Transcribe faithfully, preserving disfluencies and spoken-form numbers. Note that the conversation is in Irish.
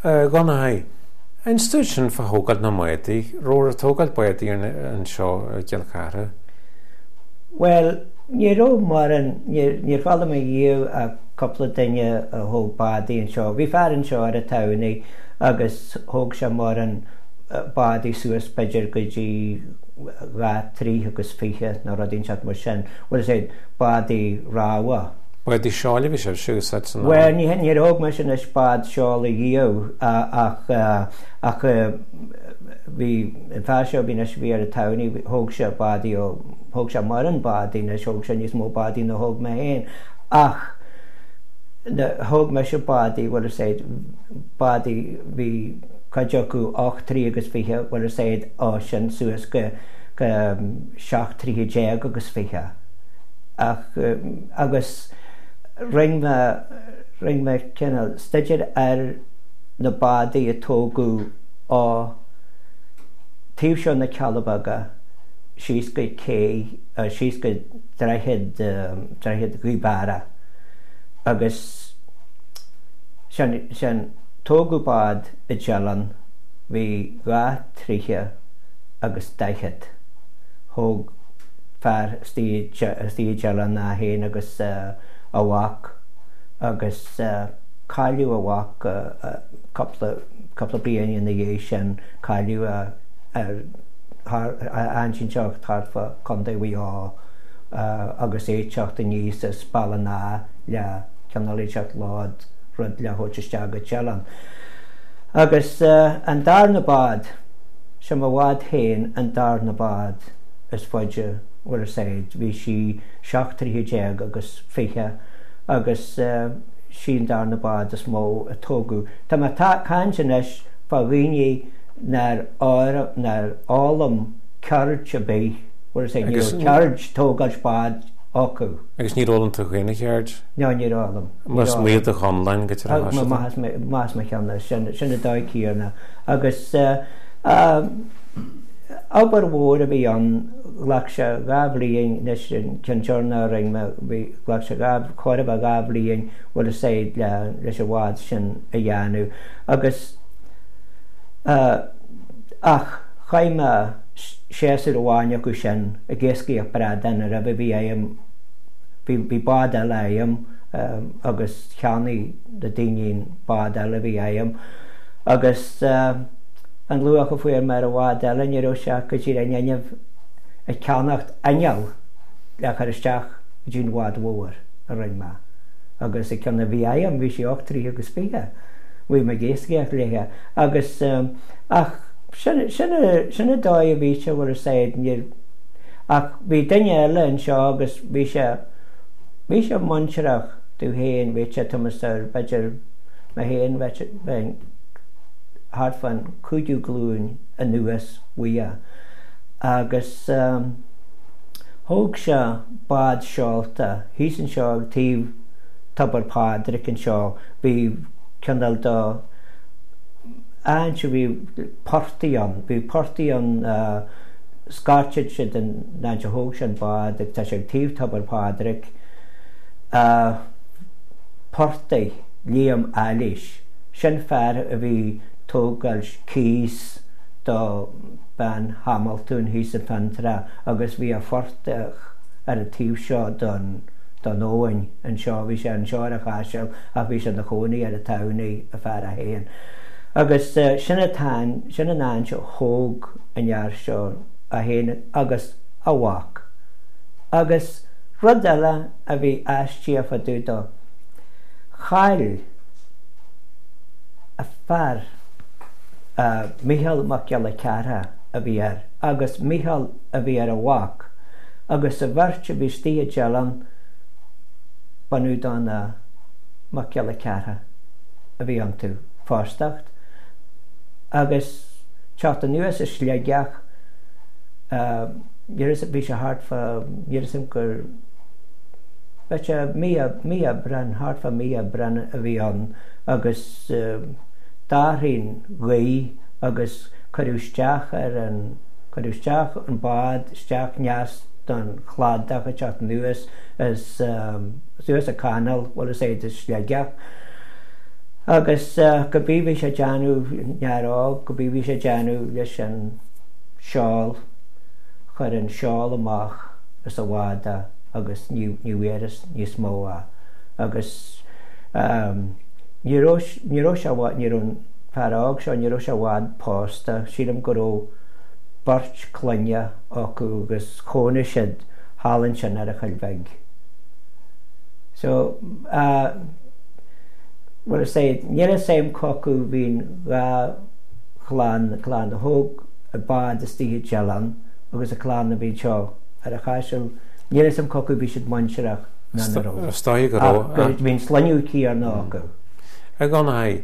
A Dhonnchaidh, inis dúinn sin fá thógáil na mbádaí, raibh ag tógáil bádaí anseo i gCill Chartha? Bhuel, ní raibh mórán, níor chuala mé riamh ach cúpla duine a thóg bádaí anseo. Bhí fear anseo ar an tamhnaigh agus thóg sé mórán bádaí suas b'fhéidir go dtí dhá troigh agus fiche nó rud inteacht mar sin. Bhuel, is é bádaí rámha. Bádaí seoil a bhí sibhse a úsáid san am? Bhuel, ní níor thóg mise anois bád seoil riamh ach ach bhí an fear seo a bhí anois a bhí ar an tamhnaigh, thóg sé bádaí ó, thóg sé mórán bádaí anois, thóg sé níos mó bádaí ná thóg mé féin ach thóg mise bádaí, bhuel is é bádaí, bhí cuid acu ocht troigh agus fiche, bhuel is é ó sin suas go go seacht troighe déag agus fiche. Ach agus rinne mé rinne mé cineál staidéar ar na bádaí a tógadh ó taobh seo na Cealla Beaga síos go cé síos go droichead droichead Ghaoth Beara agus sin sin tógadh bád i dTeileann, bhí dhá troighe agus daichead. Thóg fear istigh i dTeileann é féin agus a mhac agus cailleadh a mhac cúpla cúpla bliain ina dhiaidh sin, cailleadh é ar thar áit inteacht thart fá Contae Mhaigh Eo agus é ag teacht aníos as Béal an Átha le cineál inteacht lód rud le thabhairt isteach go Teileann. Agus an darna bád, sé mo bhád féin an darna bád is faide, bhfuil fhios a'd, bhí sí seacht troighe déag agus fiche agus sí an darna bád is mó a tógadh. Tá mé ag caint anois fá dhaoine nár nár fhoghlaim ceird ar bith, bhfuil fhios a'd, ní raibh ceird tógáilt bád acu. Agus níor fhoghlaim tú féin an cheird? No, níor fhoghlaim. Mar is maith do chonlán go dtí Maith as mo cheann, sin sin an dóigh chéanna. Agus obair mhór a bhí ann, ghlac sé dhá bhliain, anois an ceann deireanach a rinne mé, bhí, ghlac sé dhá, chóir a bheith dhá bhliain, bhfuil fhios a'd, le, leis an bhád sin a dhéanamh. Agus ach chaith mé séasúr amháin acu sin ag iascaíocht bradán roimhe, bhí agam, bhí, bhí bád eile agam agus cheannaigh na daoine an bád eile a bhí agam agus an luach a fuair mé ar an bhád eile ní raibh sé go díreach in innimh ag ceannacht inneall le chur isteach go dtí an bhád mhór a rinne mé agus an ceann a bhí agam bhí sí ocht troighe agus fiche bhí mé ag iascaíocht léithe agus ach sin, sin, sin an dóigh a bhí sé bhfuil fhios a'd níor ach bhí duine eile anseo agus bhí sé bhí sé muintearach domh féin bhí sé Thomas ar b'fhéidir mé féin bheinn thart fán cúigiú glúin anuas uaidh agus thóg sé bád seolta thíos anseo ag taobh Tobar Phádraig anseo bhí cineál de áit a bhí portaigh ann, bhí portaigh ann, scairteann siad an áit a thóg sé an bád agus tá sé ag taobh Tobar Phádraig, portaigh Liam Eilís, sin fear a bhí tógáil cíos do bean Hamiltún thíos i Fionntrá agus bhí a phortach ar an taobh seo don don abhainn anseo, bhí sé anseo ar an Chaiseal ach bhí sé ina chónaí ar an Tamhnaigh, a fear é féin. Agus sin an t-am, sin an áit a thóg an fhear seo é féin agus a mhac. Agus rud eile a bhí aisteach fá dtaobh dó, chaill a fear, Mícheál Mac Giolla Chearra a bhí air, agus Mícheál a bhí ar a mhac, agus a bheirt a bhí istigh i dTeileann, bunadh do na Mac Giolla Chearra a bhí iontu fostacht agus teacht anuas as Sligeach, níor bhí sé thart fá, níl a fhios agam gur, bheadh sé mí, mí Aibreán, thart fá mí Aibreán a bhí ann agus d'athraigh an ghaoth agus cuireadh isteach ar an, cuireadh isteach an bád isteach aneas don chladach ag teacht anuas as, suas an canáil, bhfuil fhios a'd, as Sligeach. Agus cibé bhí sé ag déanamh n'fhear óg, cibé bhí sé ag déanamh leis an seol, chuir an seol amach as a bhád é agus ní ní bhfuarthas níos mó é. Agus ní raibh ní raibh sé ní raibh an fear óg seo, ní raibh sé i bhfad pósta, sílim go raibh beirt clainne acu agus chónaigh siad thall ansin ar an Choill Bhig. So, bhuel is é, níl a fhios a'm cá acu bhí'n dhá chlann, an clann a thóg an bád istigh i dTeileann agus an clann a bhí anseo ar an Chaiseal, níl a fhios a'm cá acu bhí siad muintearach ná ná raibh. Is dóigh go raibh. Ach bhí an sloinneadh céanna acu. A Dhonnchaidh,